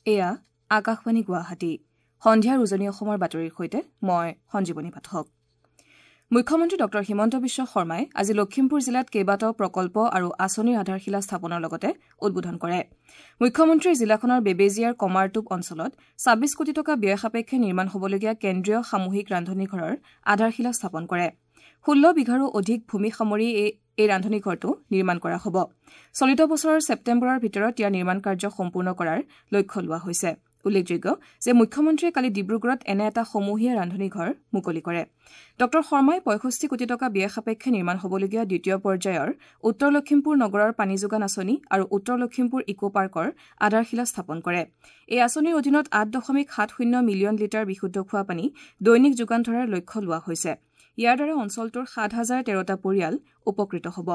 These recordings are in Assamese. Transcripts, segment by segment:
এয়া আকাশবাণী গুৱাহাটী। সন্ধিয়াৰ উজনি অসমৰ বাতৰিৰ সৈতে মই সঞ্জীৱনী পাঠক। মুখ্যমন্ত্ৰী ডঃ হিমন্ত বিশ্ব শৰ্মাই আজি লখিমপুৰ জিলাত কেইবাটাও প্ৰকল্প আৰু আঁচনিৰ আধাৰশিলা স্থাপনৰ লগতে উদ্বোধন কৰে। মুখ্যমন্ত্ৰীয়ে জিলাখনৰ বেবেজীয়াৰ কমাৰটোপ অঞ্চলত ২৬ কোটি টকা ব্যয় সাপেক্ষে নিৰ্মাণ হ'বলগীয়া কেন্দ্ৰীয় সামূহিক ৰান্ধনীঘৰৰ আধাৰশিলা স্থাপন কৰে। ১৬ বিঘাৰো অধিক ভূমি সামৰি এই ৰান্ধনীঘৰটো নিৰ্মাণ কৰা হ'ব। চলিত বছৰৰ ছেপ্টেম্বৰৰ ভিতৰত ইয়াৰ নিৰ্মাণ কাৰ্য সম্পূৰ্ণ কৰাৰ লক্ষ্য লোৱা হৈছে। উল্লেখযোগ্য যে মুখ্যমন্ত্ৰীয়ে কালি ডিব্ৰুগড়ত এনে এটা সমূহীয়া ৰান্ধনীঘৰ মুকলি কৰে। ডঃ শৰ্মাই ৬৫ কোটি টকা ব্যয় সাপেক্ষে নিৰ্মাণ হ'বলগীয়া দ্বিতীয় পৰ্যায়ৰ উত্তৰ লখিমপুৰ নগৰৰ পানী যোগান আঁচনি আৰু উত্তৰ লখিমপুৰ ইক' পাৰ্কৰ আধাৰশিলা স্থাপন কৰে। এই আঁচনিৰ অধীনত ৮.৭০ মিলিয়ন লিটাৰ বিশুদ্ধ খোৱাপানী দৈনিক যোগান ধৰাৰ লক্ষ্য লোৱা হৈছে। ইয়াৰ দ্বাৰা অঞ্চলটোৰ ৭০১৩টা পৰিয়াল উপকৃত হ'ব।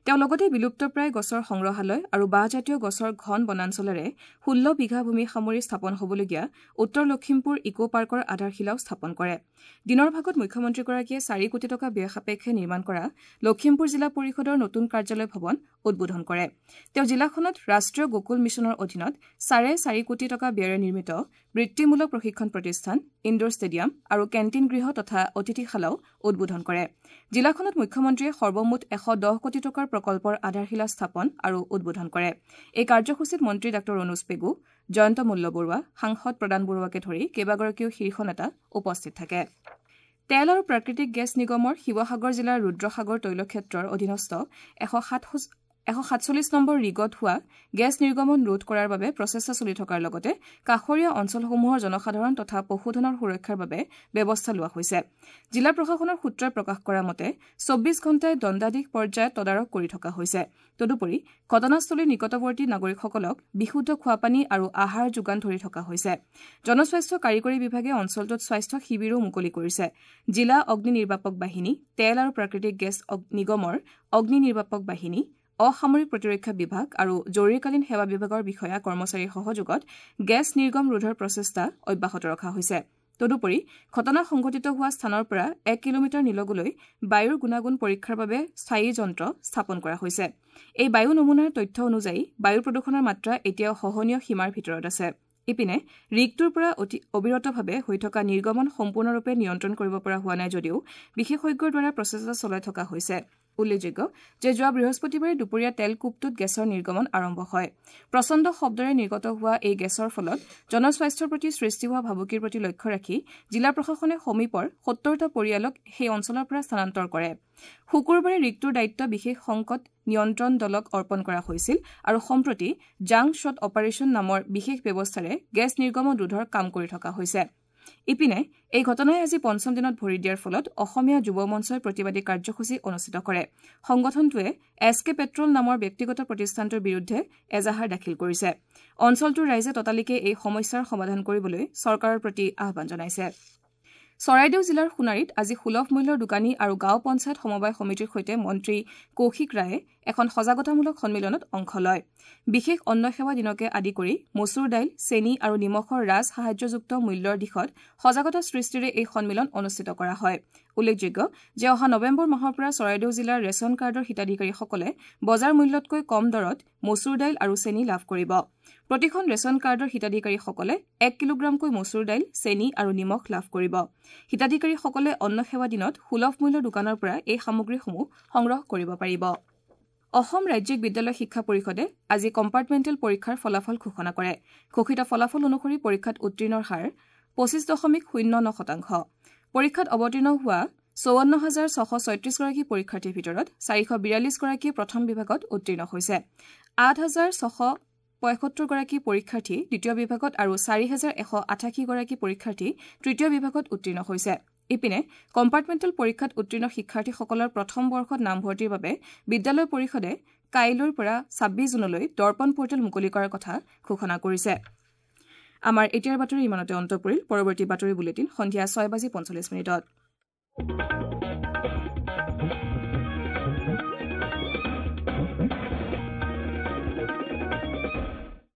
তেওঁ লগতে বিলুপ্তপ্ৰায় গছৰ সংগ্ৰহালয় আৰু বাঁহজাতীয় গছৰ ঘন বনাঞ্চলেৰে ১৬ বিঘা ভূমি সামৰি স্থাপন হ'বলগীয়া উত্তৰ লখিমপুৰ ইক' পাৰ্কৰ আধাৰশিলাও স্থাপন কৰে। দিনৰ ভাগত মুখ্যমন্ত্ৰীগৰাকীয়ে ৪ কোটি টকা ব্যয় সাপেক্ষে নিৰ্মাণ কৰা লখিমপুৰ জিলা পৰিষদৰ নতুন কাৰ্যালয় ভৱন উদ্বোধন কৰে। তেওঁ জিলাখনত ৰাষ্ট্ৰীয় গোকুল মিছনৰ অধীনত ৪.৫ কোটি টকা ব্যয়েৰে নিৰ্মিত বৃত্তিমূলক প্ৰশিক্ষণ প্ৰতিষ্ঠান, ইণ্ডোৰ ষ্টেডিয়াম আৰু কেণ্টিন গৃহ তথা অতিথিশালাও উদ্বোধন কৰে। জিলাখনত মুখ্যমন্ত্ৰীয়ে সৰ্বমুঠ ১১০ কোটি টকাৰ প্ৰকল্পৰ আধাৰশিলা স্থাপন আৰু উদ্বোধন কৰে। এই কাৰ্যসূচীত মন্ত্ৰী ডাঃ ৰণোজ পেগু, জয়ন্ত মল্ল বৰুৱা, সাংসদ প্ৰদান বৰুৱাকে ধৰি কেইবাগৰাকীও শীৰ্ষ নেতা উপস্থিত থাকে। তেল আৰু প্ৰাকৃতিক গেছ নিগমৰ শিৱসাগৰ জিলাৰ ৰুদ্ৰসাগৰ তৈলক্ষেত্ৰৰ অধীনস্থ ১৪৭ নম্বৰ ৰিগত হোৱা গেছ নিৰ্গমন ৰোধ কৰাৰ বাবে প্ৰচেষ্টা চলি থকাৰ লগতে কাষৰীয়া অঞ্চলসমূহৰ জনসাধাৰণ তথা পশুধনৰ সুৰক্ষাৰ বাবে ব্যৱস্থা লোৱা হৈছে। জিলা প্ৰশাসনৰ সূত্ৰই প্ৰকাশ কৰা মতে ২৪ ঘণ্টাই দণ্ডাধীশ পৰ্যায়ত তদাৰক কৰি থকা হৈছে। তদুপৰি ঘটনাস্থলীৰ নিকটৱৰ্তী নাগৰিকসকলক বিশুদ্ধ খোৱাপানী আৰু আহাৰ যোগান ধৰি থকা হৈছে। জনস্বাস্থ্য কাৰিকৰী বিভাগে অঞ্চলটোত স্বাস্থ্য শিবিৰো মুকলি কৰিছে। জিলা অগ্নি নিৰ্বাপক বাহিনী, তেল আৰু প্ৰাকৃতিক গেছ নিগমৰ অগ্নি নিৰ্বাপক বাহিনী, অসামৰিক প্ৰতিৰক্ষা বিভাগ আৰু জৰুৰীকালীন সেৱা বিভাগৰ বিষয়া কৰ্মচাৰীৰ সহযোগত গেছ নিৰ্গম ৰোধৰ প্ৰচেষ্টা অব্যাহত ৰখা হৈছে। তদুপৰি ঘটনা সংঘটিত হোৱা স্থানৰ পৰা ১ কিলোমিটাৰ নিলগলৈ বায়ুৰ গুণাগুণ পৰীক্ষাৰ বাবে স্থায়ী যন্ত্ৰ স্থাপন কৰা হৈছে। এই বায়ু নমুনাৰ তথ্য অনুযায়ী বায়ু প্ৰদূষণৰ মাত্ৰা এতিয়াও সহনীয় সীমাৰ ভিতৰত আছে। ইপিনে ৰিগটোৰ পৰা অতি অবিৰতভাৱে হৈ থকা নিৰ্গমন সম্পূৰ্ণৰূপে নিয়ন্ত্ৰণ কৰিব পৰা হোৱা নাই যদিও বিশেষজ্ঞৰ দ্বাৰা প্ৰচেষ্টা চলাই থকা হৈছে। উল্লেখযোগ্য যে যোৱা বৃহস্পতিবাৰে দুপৰীয়া তেলকূপটোত গেছৰ নিৰ্গমন আৰম্ভ হয়। প্ৰচণ্ড শব্দৰে নিৰ্গত হোৱা এই গেছৰ ফলত জনস্বাস্থ্যৰ প্ৰতি সৃষ্টি হোৱা ভাবুকিৰ প্ৰতি লক্ষ্য ৰাখি জিলা প্ৰশাসনে সমীপৰ ৭০টা পৰিয়ালক সেই অঞ্চলৰ পৰা স্থানান্তৰ কৰে। শুকুৰবাৰে ৰিগটোৰ দায়িত্ব বিশেষ সংকট নিয়ন্ত্ৰণ দলক অৰ্পণ কৰা হৈছিল আৰু সম্প্ৰতি জাং শ্বট অপাৰেশ্যন নামৰ বিশেষ ব্যৱস্থাৰে গেছ নিৰ্গমন ৰোধৰ কাম কৰি থকা হৈছে। ইপিনে এই ঘটনাই আজি পঞ্চম দিনত ভৰি দিয়াৰ ফলত অসমীয়া যুৱ মঞ্চই প্ৰতিবাদী কাৰ্যসূচী অনুষ্ঠিত কৰে। সংগঠনটোৱে এছ কে পেট্ৰল নামৰ ব্যক্তিগত প্ৰতিষ্ঠানটোৰ বিৰুদ্ধে এজাহাৰ দাখিল কৰিছে। অঞ্চলটোৰ ৰাইজে ততালিকে এই সমস্যাৰ সমাধান কৰিবলৈ চৰকাৰৰ প্ৰতি আহ্বান জনাইছে। চৰাইদেউ জিলাৰ সোণাৰীত আজি সুলভ মূল্যৰ দোকানী আৰু গাঁও পঞ্চায়ত সমবায় সমিতিৰ সৈতে মন্ত্ৰী কৌশিক ৰায়ে এখন সজাগতামূলক সন্মিলনত অংশ লয়। বিশেষ অন্ন সেৱা দিনকে আদি কৰি মচুৰ দাইল, চেনি আৰু নিমখৰ ৰাজ সাহায্যযুক্ত মূল্যৰ দিশত সজাগতা সৃষ্টিৰে এই সন্মিলন অনুষ্ঠিত কৰা হয়। উল্লেখযোগ্য যে অহা নৱেম্বৰ মাহৰ পৰা চৰাইদেউ জিলাৰ ৰেচন কাৰ্ডৰ হিতাধিকাৰীসকলে বজাৰ মূল্যতকৈ কম দৰত মচুৰ দাইল আৰু চেনি লাভ কৰিব। প্ৰতিখন ৰেচন কাৰ্ডৰ হিতাধিকাৰীসকলে ১ কিলোগ্ৰামকৈ মচুৰ দাইল, চেনি আৰু নিমখ লাভ কৰিব। হিতাধিকাৰীসকলে অন্ন সেৱা দিনত সুলভ মূল্যৰ দোকানৰ পৰা এই সামগ্ৰীসমূহ সংগ্ৰহ কৰিব পাৰিব। অসম ৰাজ্যিক বিদ্যালয় শিক্ষা পৰিষদে আজি কম্পাৰ্টমেণ্টেল পৰীক্ষাৰ ফলাফল ঘোষণা কৰে। ঘোষিত ফলাফল অনুসৰি পৰীক্ষাত উত্তীৰ্ণৰ হাৰ ২৫.০৯%। পৰীক্ষাত অৱতীৰ্ণ হোৱা ৫৪,৬৩৬ গৰাকী পৰীক্ষাৰ্থীৰ ভিতৰত ৪৪২ গৰাকীয়ে প্ৰথম বিভাগত উত্তীৰ্ণ হৈছে। ৮,৬৭৫ গৰাকী পৰীক্ষাৰ্থী দ্বিতীয় বিভাগত আৰু ৪,১৮৮ গৰাকী পৰীক্ষাৰ্থী তৃতীয় বিভাগত উত্তীৰ্ণ হৈছে। ইপিনে কম্পাৰ্টমেণ্টেল পৰীক্ষাত উত্তীৰ্ণ শিক্ষাৰ্থীসকলৰ প্ৰথম বৰ্ষত নামভৰ্তিৰ বাবে বিদ্যালয় পৰিষদে কাইলৈৰ পৰা ২৬ জুনলৈ দৰ্পণ পৰ্টেল মুকলি কৰাৰ কথা ঘোষণা কৰিছে। আমাৰ এতিয়াৰ বাতৰি ইমানতে অন্ত পৰিল। পৰৱৰ্তী বাতৰি বুলেটিন সন্ধিয়া ৬:৪৫।